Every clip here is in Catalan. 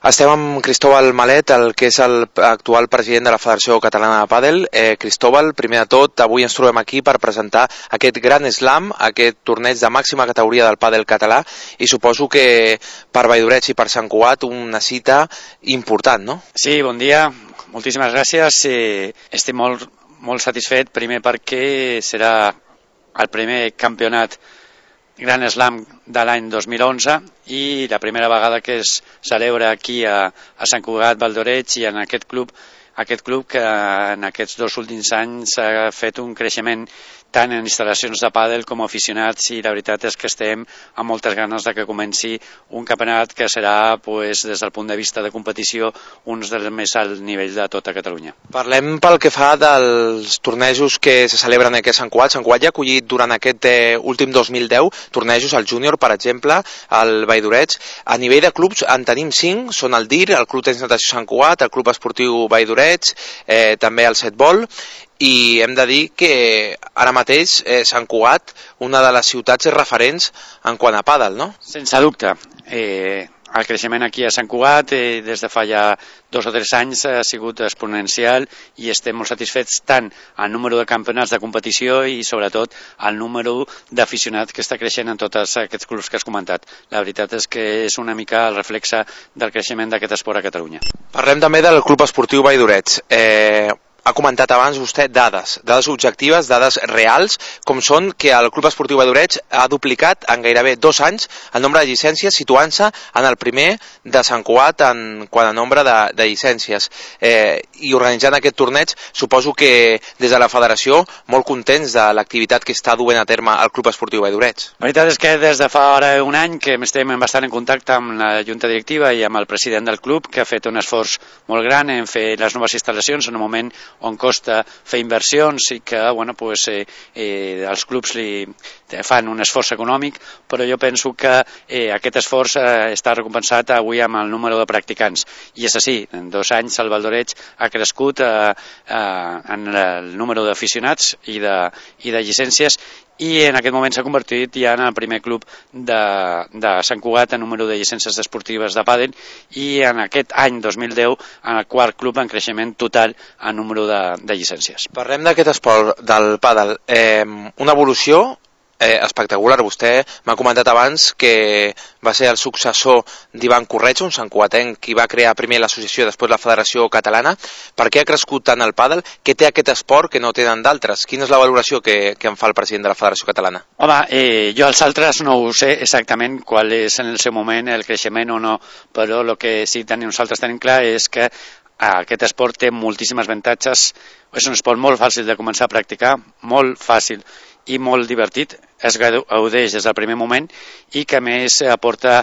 Estem amb Cristóbal Malet, el que és l'actual president de la Federació Catalana de Pàdel. Cristóbal, primer de tot, avui ens trobem aquí per presentar aquest Gran Slam, aquest torneig de màxima categoria del pàdel català, i suposo que per Valldoreig i per Sant Cugat una cita important, no? Sí, bon dia, moltíssimes gràcies. Estic molt satisfet, primer perquè serà el primer campionat Gran Slam de l'any 2011 i la primera vegada que es celebra aquí a Sant Cugat, Valldoreig, i en aquest club que en aquests 2 últims anys ha fet un creixement tant en instal·lacions de pàdel com aficionats, i la veritat és que estem amb moltes ganes de que comenci un campionat que serà, des del punt de vista de competició, un dels més alt nivell de tota Catalunya. Parlem pel que fa dels tornejos que se celebren aquí a Sant Cugat. Sant Cugat ja ha acollit durant aquest últim 2010 tornejos, al júnior, per exemple, al Valldoreig. A nivell de clubs en tenim 5, són el DIR, el Club Tenis Natació Sant Cugat, el Club Esportiu Valldoreig, també el Setbol, i hem de dir que ara mateix Sant Cugat, una de les ciutats referents en quant a pàdel, no? Sense dubte. El creixement aquí a Sant Cugat des de fa ja 2 o 3 anys ha sigut exponencial i estem molt satisfets tant al número de campionats de competició i sobretot al número d'aficionats que està creixent en tots aquests clubs que has comentat. La veritat és que és una mica el reflexe del creixement d'aquest esport a Catalunya. Parlem també del Club Esportiu Valldoreig. Ha comentat abans vostè dades objectives, dades reals, com són que el Club Esportiu Valldoreig ha duplicat en gairebé 2 anys el nombre de llicències, situant-se en el primer de Sant Cugat en quant a nombre de llicències. I organitzant aquest torneig, suposo que des de la federació molt contents de l'activitat que està duent a terme el Club Esportiu Valldoreig. La veritat és que des de fa ara un any que estem bastant en contacte amb la Junta Directiva i amb el president del club, que ha fet un esforç molt gran en fer les noves instal·lacions en un moment on costa fer inversions i que els clubs li fan un esforç econòmic, però jo penso que aquest esforç està recompensat avui amb el número de practicants. I és així, en 2 anys el Valldoreig ha crescut en el número d'aficionats i de llicències, i en aquest moment s'ha convertit ja en el primer club de Sant Cugat en número de llicències esportives de pàdel, i en aquest any 2010 en el 4è club en creixement total en número de llicències. Parlem d'aquest esport del pàdel, una evolució espectacular. Vostè m'ha comentat abans que va ser el successor d'Ivan Corretja, un santcugatenc qui va crear primer l'associació i després la Federació Catalana. Per què ha crescut tant el pàdel? Què té aquest esport que no tenen d'altres? Quina és la valoració que en fa el president de la Federació Catalana? Home, jo els altres no ho sé exactament qual és en el seu moment el creixement o no, però el que sí nosaltres tenim clar és que aquest esport té moltíssimes avantatges. És un esport molt fàcil de començar a practicar, molt fàcil i molt divertit, es gaudeix des del primer moment i que a més aporta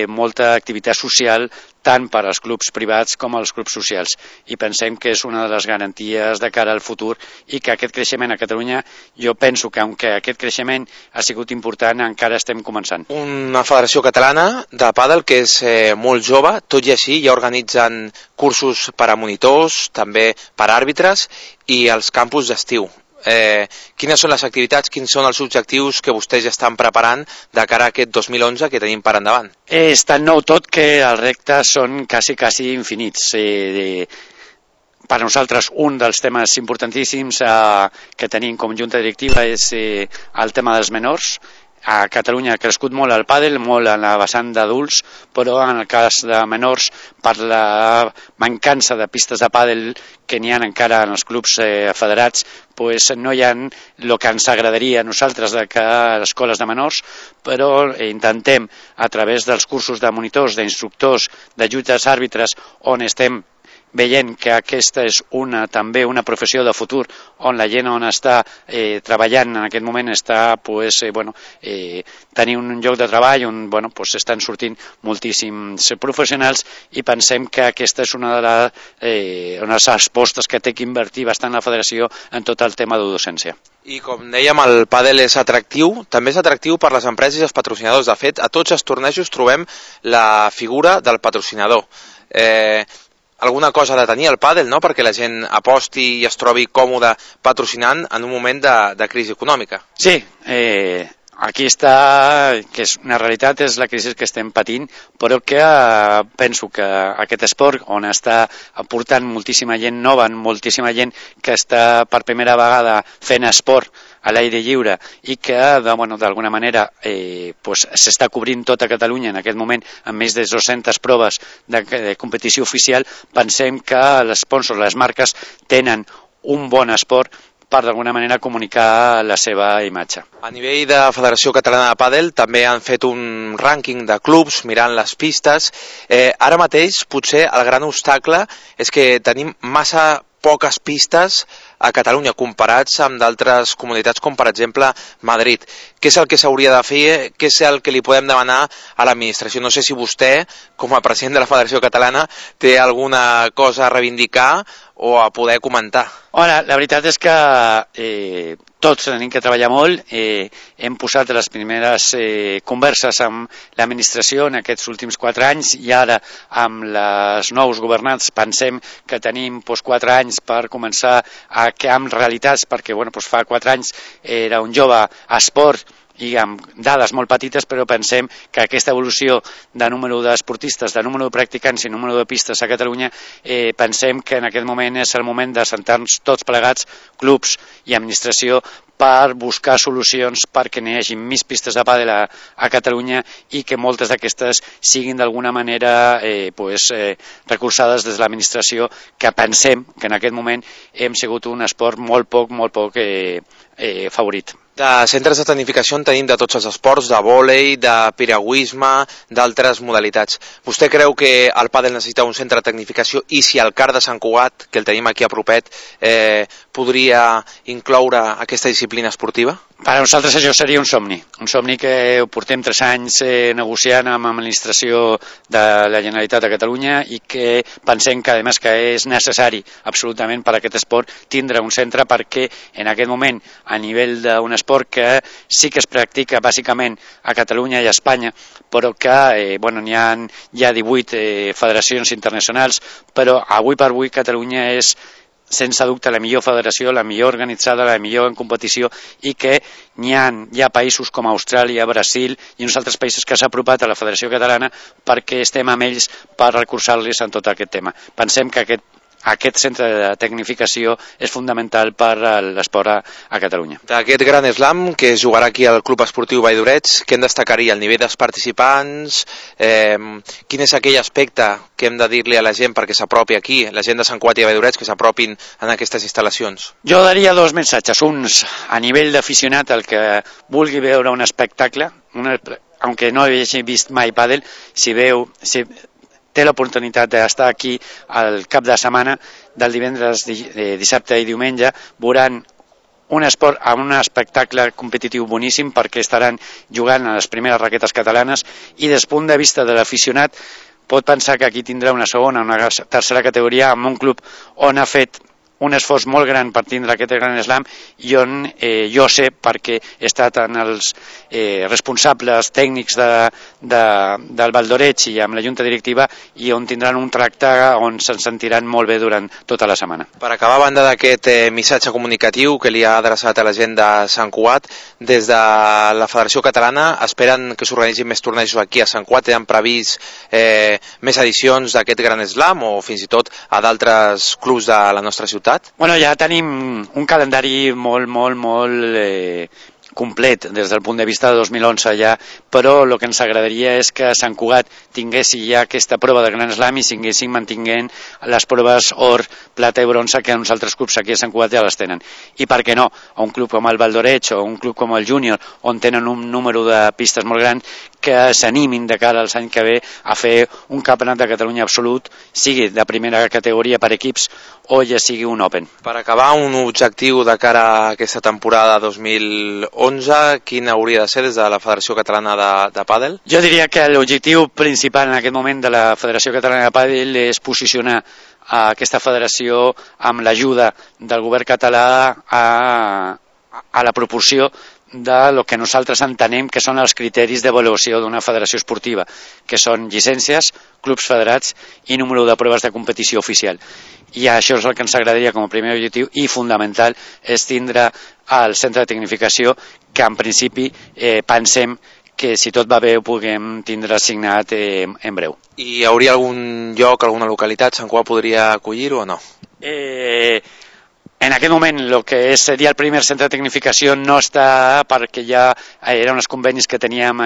molta activitat social tant per als clubs privats com als clubs socials, i pensem que és una de les garanties de cara al futur, i que aquest creixement a Catalunya, jo penso que aunque aquest creixement ha sigut important, encara estem començant. Una federació catalana de pàdel que és molt jove, tot i així ja organitzen cursos per a monitors, també per a àrbitres, i els campus d'estiu. Quines són les activitats, quins són els objectius que vostès ja estan preparant de cara a aquest 2011 que tenim per endavant? És tan nou tot que els reptes són quasi infinits. Per nosaltres un dels temes importantíssims que tenim com junta directiva és el tema dels menors. A Catalunya ha crescut molt el pàdel, molt en la vessant d'adults, però en el cas de menors, per la mancança de pistes de pàdel que n'hi ha encara en els clubs federats, no hi ha el que ens agradaria a nosaltres que a les escoles de menors, però intentem, a través dels cursos de monitors, d'instructors, de jutges àrbitres, on estem veient que aquesta és també una professió de futur, on la gent on està treballant en aquest moment està tenir un lloc de treball on estan sortint moltíssims professionals, i pensem que aquesta és una de les apostes que té que invertir bastant la federació en tot el tema de docència. I com dèiem, el pàdel és atractiu, també és atractiu per les empreses i els patrocinadors. De fet, a tots els tornejos trobem la figura del patrocinador. Alguna cosa ha de tenir el pàdel, no?, perquè la gent aposti i es trobi còmode patrocinant en un moment de crisi econòmica. Sí, aquí està, que és una realitat, és la crisi que estem patint, però que penso que aquest esport on està aportant moltíssima gent nova, moltíssima gent que està per primera vegada fent esport a l'aire lliure i que d'alguna manera s'està cobrint tota Catalunya en aquest moment amb més de 200 proves de competició oficial, pensem que els sponsors, les marques, tenen un bon esport per d'alguna manera comunicar la seva imatge. A nivell de Federació Catalana de Pàdel també han fet un rànquing de clubs mirant les pistes. Ara mateix potser el gran obstacle és que tenim massa poques pistes a Catalunya comparats amb d'altres comunitats com per exemple Madrid. Què és el que s'hauria de fer? Què és el que li podem demanar a l'administració? No sé si vostè, com a president de la Federació Catalana, té alguna cosa a reivindicar o a poder comentar. La veritat és que tots tenim que treballar molt. Hem posat les primeres converses amb l'administració en aquests últims 4 anys i ara amb els nous governants pensem que tenim 4 anys per començar a crear realitats, perquè fa 4 anys era un jove a esport i amb dades molt petites, però pensem que aquesta evolució de número d'esportistes, de número de practicants i número de pistes a Catalunya, pensem que en aquest moment és el moment de sentar-nos tots plegats, clubs i administració, per buscar solucions perquè n'hi hagi més pistes de pàdel a Catalunya i que moltes d'aquestes siguin d'alguna manera recolzades des de l'administració, que pensem que en aquest moment hem sigut un esport molt poc favorit. De centres de tecnificació en tenim de tots els esports, de vòlei, de piragüisme, d'altres modalitats. Vostè creu que el pàdel necessita un centre de tecnificació i si el CAR de Sant Cugat, que el tenim aquí a propet, podria incloure aquesta disciplina esportiva? Per a nosaltres això seria un somni que ho portem 3 anys negociant amb l'administració de la Generalitat de Catalunya i que pensem que, a més, que és necessari absolutament per a aquest esport tindre un centre, perquè en aquest moment, a nivell d'un esport que sí que es practica bàsicament a Catalunya i a Espanya, però que n'hi ha 18 federacions internacionals, però avui per avui Catalunya és sense dubte la millor federació, la millor organitzada, la millor en competició, i que hi ha països com Austràlia, Brasil i uns altres països que s'ha apropat a la Federació Catalana perquè estem amb ells per recolzar-los en tot aquest tema. Pensem que aquest centre de tecnificació és fundamental per a l'esport a Catalunya. D'aquest gran slam que es jugarà aquí al Club Esportiu Vall d'Orets, què en destacaria? El nivell dels participants? Quin és aquell aspecte que hem de dir-li a la gent perquè s'apropi aquí, la gent de Sant Cugat i Vall d'Orets, que s'apropin en aquestes instal·lacions? Jo daria 2 missatges. Uns, a nivell d'aficionat, el que vulgui veure un espectacle, aunque no hagi vist mai pàdel, si té l'oportunitat d'estar aquí al cap de setmana, del divendres, dissabte i diumenge, veuran un espectacle competitiu boníssim perquè estaran jugant a les primeres raquetes catalanes i des del punt de vista de l'aficionat pot pensar que aquí tindrà una segona, una tercera categoria amb un club on ha fet un esforç molt gran per tindre aquest gran slam i on jo sé, perquè he estat en els responsables tècnics del Vall d'Orets i amb la junta directiva, i on tindran un tracte on se'n sentiran molt bé durant tota la setmana. Per acabar, a banda d'aquest missatge comunicatiu que li ha adreçat a la gent de Sant Cugat, des de la Federació Catalana esperen que s'organitzin més tornejos aquí a Sant Cugat? Tenen previst més edicions d'aquest gran slam o fins i tot a d'altres clubs de la nostra ciutat? Ja tenim un calendari molt complet des del punt de vista de 2011 ja, però el que ens agradaria és que Sant Cugat tingués ja aquesta prova de Gran Slam i siguéssim mantinguent les proves or, plata i bronze que uns altres clubs aquí a Sant Cugat ja les tenen. I per què no, a un club com el Vall d'Orets o un club com el Júnior, on tenen un número de pistes molt gran, que s'animin de cara als anys que ve a fer un campionat de Catalunya absolut, sigui de primera categoria per equips o ja sigui un Open. Per acabar, un objectiu de cara a aquesta temporada 2011, quin hauria de ser des de la Federació Catalana de Pàdel? Jo diria que l'objectiu principal en aquest moment de la Federació Catalana de Pàdel és posicionar aquesta federació amb l'ajuda del govern català a la proporció de lo que nosaltres entenem que són els criteris d'avaluació d'una federació esportiva, que són llicències, clubs federats i número de proves de competició oficial. I això és el que ens agradaria com a primer objectiu i fundamental, és tindre el centre de tecnificació que en principi pensem que si tot va bé ho puguem tindre assignat en breu. I hi hauria algun lloc, alguna localitat, Sant Cugat podria acollir-ho o no? En aquest moment el que seria el primer centre de tecnificació no està, perquè ja eren uns convenis que teníem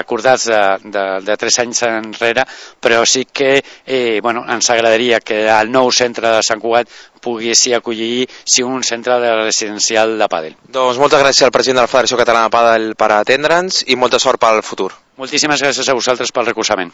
acordats de 3 anys enrere, però sí que ens agradaria que el nou centre de Sant Cugat pogués acollir un centre residencial de pàdel. Doncs moltes gràcies al president de la Federació Catalana de Pàdel per atendre'ns i molta sort pel futur. Moltíssimes gràcies a vosaltres pel recolzament.